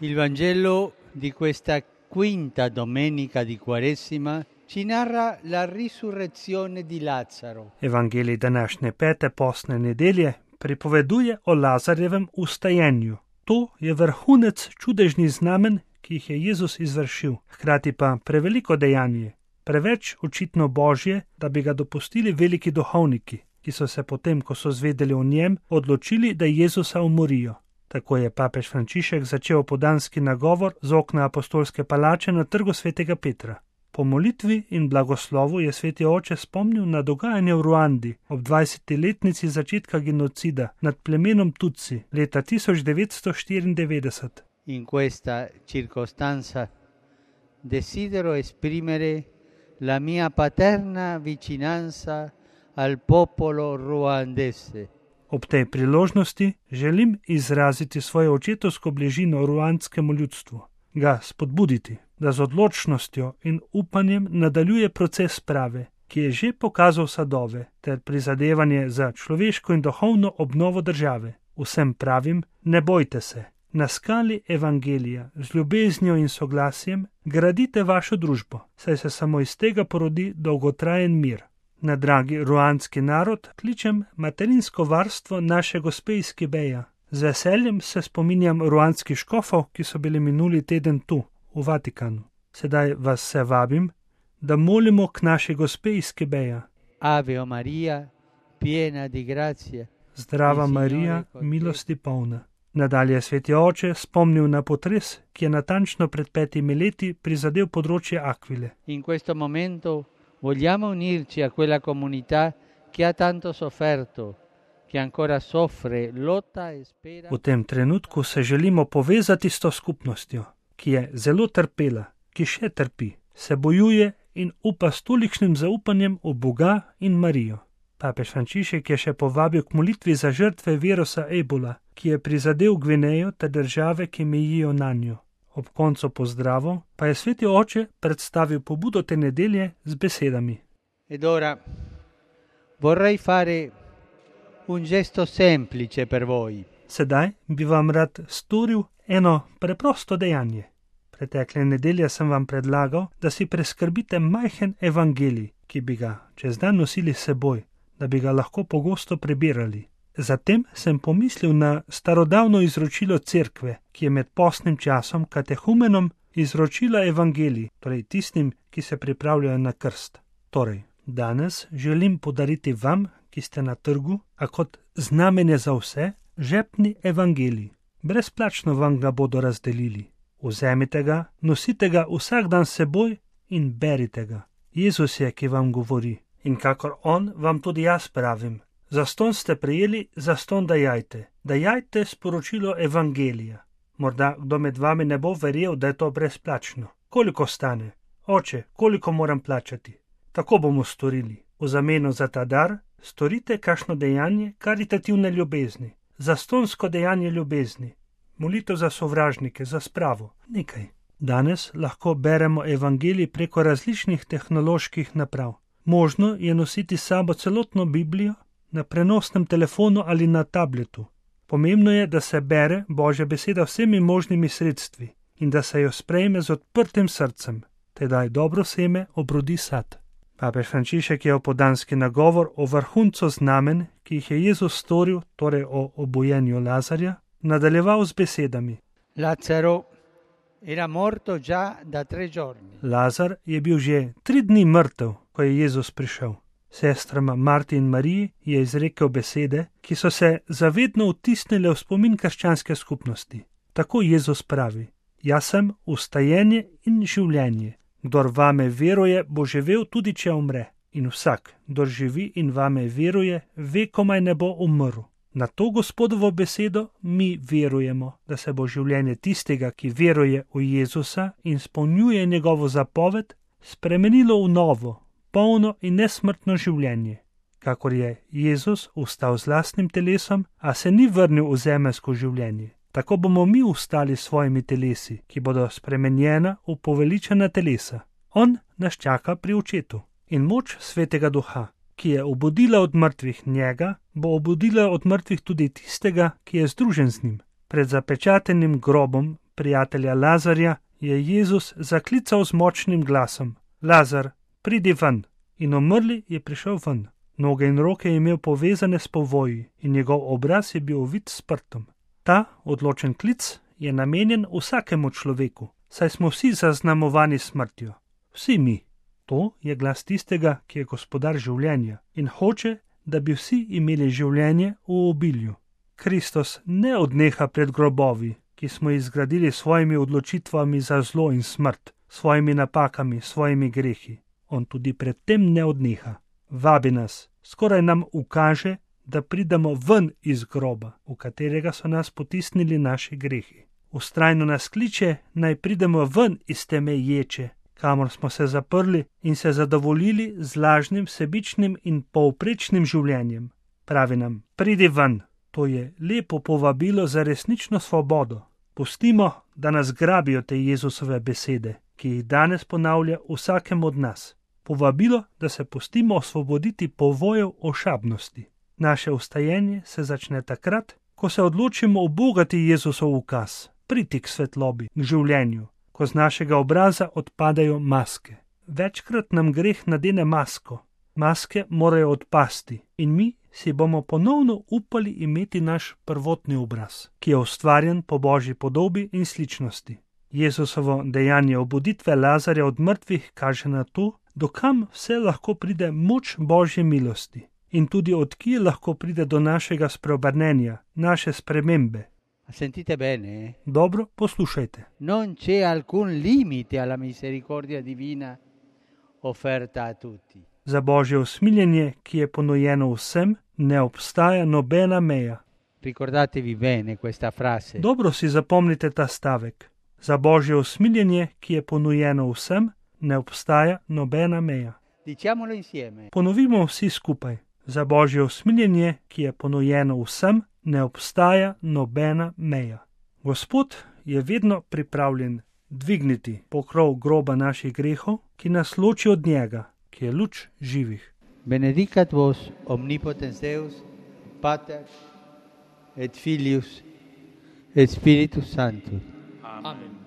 Il Vangelo di questa quinta domenica di Quaresima ci narra la risurrezione di Lazzaro. Evangelij današnje pete postne nedelje pripoveduje o Lazarjevem ustajenju. To je vrhunec čudežnih znamen, ki jih je Jezus izvršil, hkrati pa preveliko dejanje, preveč očitno božje, da bi ga dopustili veliki duhovniki, ki so se potem, ko so zvedeli o njem, odločili, da Jezusa umorijo. Tako je papež Frančišek začel opoldanski nagovor z okna apostolske palače na trgu svetega Petra. Po molitvi in blagoslovu je sveti oče spomnil na dogajanje v Ruandi ob 20-letnici začetka genocida nad plemenom Tutsi leta 1994. In questa circostanza desidero esprimere la mia paterna vicinanza al popolo ruandese. Ob tej priložnosti želim izraziti svojo očetovsko bližino ruandskemu ljudstvu, ga spodbuditi, da z odločnostjo in upanjem nadaljuje proces sprave, ki je že pokazal sadove, ter prizadevanje za človeško in duhovno obnovo države. Vsem pravim, ne bojte se, na skali evangelija z ljubeznijo in soglasjem gradite vašo družbo, saj se samo iz tega porodi dolgotrajen mir. Na dragi ruandski narod kličem materinsko varstvo naše gospe iz Kibeja. Z veseljem se spominjam ruandskih škofov, ki so bili minuli teden tu, v Vatikanu. Sedaj vas se vabim, da molimo k naši gospe iz Kibeja. Ave Maria, piena di grazia. Zdrava Marija, milosti polna. Nadalje sveti oče spomnil na potres, ki je natančno pred 5 leti prizadel področje Aquile. In questo momento vogliamo unirci a quella comunità che ha tanto sofferto, che ancora soffre, lotta e spera. V tem trenutku se želimo povezati s to skupnostjo, ki je zelo trpela, ki še trpi, se bojuje in upa s tolikšnim zaupanjem v Boga in Marijo. Papež Frančišek je še povabil k molitvi za žrtve virusa Ebola, ki je prizadel Gvinejo ter države, ki mejijo nanjo. Ob koncu pozdravov pa je sveti oče predstavil pobudo te nedelje z besedami. Ed ora vorrei fare un gesto semplice per voi. Sedaj bi vam rad storil eno preprosto dejanje. Pretekle nedelje sem vam predlagal, da si preskrbite majhen evangelij, ki bi ga čez dan nosili s seboj, da bi ga lahko pogosto prebirali. Zatem sem pomislil na starodavno izročilo cerkve, ki je med postnim časom katehumenom izročila evangelij, torej tistim, ki se pripravljajo na krst. Torej, danes želim podariti vam, ki ste na trgu, a kot znamenje za vse, žepni evangelij. Brezplačno vam ga bodo razdelili. Vzemite ga, nosite ga vsak dan s seboj in berite ga. Jezus je, ki vam govori. In kakor on, vam tudi jaz pravim. Zastonj ste prejeli, zastonj dajajte. Dajajte sporočilo evangelija. Morda kdo med vami ne bo verjel, da je to brezplačno. Koliko stane? Oče, koliko moram plačati? Tako bomo storili. V zameno za ta dar storite kakšno dejanje karitativne ljubezni. Zastonjsko dejanje ljubezni. Molitev za sovražnike, za spravo. Nekaj. Danes lahko beremo evangelij preko različnih tehnoloških naprav. Možno je nositi s sabo celotno Biblijo na prenosnem telefonu ali na tabletu. Pomembno je, da se bere Božja beseda vsemi možnimi sredstvi in da se jo sprejme z odprtim srcem, tedaj dobro seme obrodi sad. Papež Frančišek je opoldanski nagovor o vrhuncu znamen, ki jih je Jezus storil, torej o obujenju Lazarja, nadaljeval z besedami. Lazzaro era morto già da 3 giorni. Lazar je bil že 3 dni mrtev, ko je Jezus prišel. Sestrama Marti in Mariji je izrekel besede, ki so se zavedno vtisnile v spomin krščanske skupnosti. Tako Jezus pravi: Jaz sem vstajenje in življenje. Kdor vame veruje, bo živel tudi če umre. In vsak, kdor živi in vame veruje, ve, komaj ne bo umrl. Na to Gospodovo besedo mi verujemo, da se bo življenje tistega, ki veruje v Jezusa in izpolnjuje njegovo zapoved, spremenilo v novo, polno in nesmrtno življenje. Kakor je Jezus vstal z lastnim telesom, a se ni vrnil v zemeljsko življenje. Tako bomo mi vstali s svojimi telesi, ki bodo spremenjena v poveličena telesa. On nas čaka pri očetu. In moč svetega duha, ki je obudila od mrtvih njega, bo obudila od mrtvih tudi tistega, ki je združen z njim. Pred zapečatenim grobom prijatelja Lazarja, je Jezus zaklical z močnim glasom: Lazar, pridi ven. In umrli je prišel ven. Noge in roke je imel povezane s povoji in njegov obraz je bil ovit s prtom. Ta odločen klic je namenjen vsakemu človeku, saj smo vsi zaznamovani smrtjo. Vsi mi. To je glas tistega, ki je gospodar življenja in hoče, da bi vsi imeli življenje v obilju. Kristus ne odneha pred grobovi, ki smo jih zgradili s svojimi odločitvami za zlo in smrt, svojimi napakami, svojimi grehi. On tudi pred tem ne odneha. Vabi nas, skoraj nam ukaže, da pridemo ven iz groba, v katerega so nas potisnili naši grehi. Vztrajno nas kliče, naj pridemo ven iz teme ječe, kamor smo se zaprli in se zadovoljili z lažnim, sebičnim in povprečnim življenjem. Pravi nam, pridi ven. To je lepo povabilo za resnično svobodo. Pustimo, da nas grabijo te Jezusove besede, ki jih danes ponavlja vsakemu od nas. Povabilo, da se pustimo osvoboditi povojev ošabnosti. Naše vstajenje se začne takrat, ko se odločimo ubogati Jezusov ukaz, priti k svetlobi, k življenju, ko z našega obraza odpadajo maske. Večkrat nam greh nadene masko. Maske morajo odpasti in mi si bomo ponovno upali imeti naš prvotni obraz, ki je ustvarjen po Božji podobi in sličnosti. Jezusovo dejanje obuditve Lazarja od mrtvih kaže na to, dokam vse lahko pride moč Božje milosti in tudi od kje lahko pride do našega spreobrnenja, naše spremembe. Sentite bene. Dobro, poslušajte. Non c'è alcun limite alla misericordia divina offerta a tutti. Za Božje usmiljenje, ki je ponujeno vsem, ne obstaja nobena meja. Ricordatevi bene questa frase. Dobro si zapomnite ta stavek. Za Božje usmiljenje, ki je ponujeno vsem, ne obstaja nobena meja. Diciamolo insieme. Ponovimo vsi skupaj. Za Božje usmiljenje, ki je ponujeno vsem, ne obstaja nobena meja. Gospod je vedno pripravljen dvigniti pokrov groba naših grehov, ki nas loči od njega, ki je luč živih. Benedicat vos omnipotens Deus, Pater et Filius et Spiritus Sanctus. Amen.